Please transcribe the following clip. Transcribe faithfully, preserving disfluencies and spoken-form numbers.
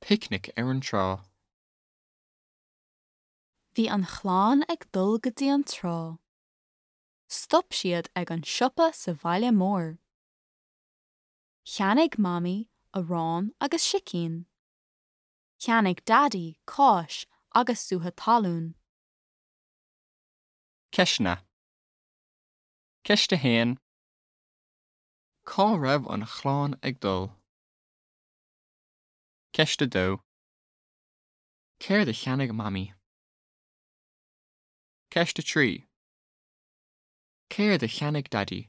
Picnic ar an trá. Bhí an chlann ag dul go dtí an trá. Stop siad ag an siopa sa bhaile mór. Cheannaigh Mamaí arán agus sicín. Cheannaigh Daidí cáis agus sútha talún. Ceisteanna. Ceist a haon. Cá raibh an chlann ag dul? Ceist a dó. Céard a cheannaigh Mamaí? Ceist a trí. Céard a cheannaigh Daidí?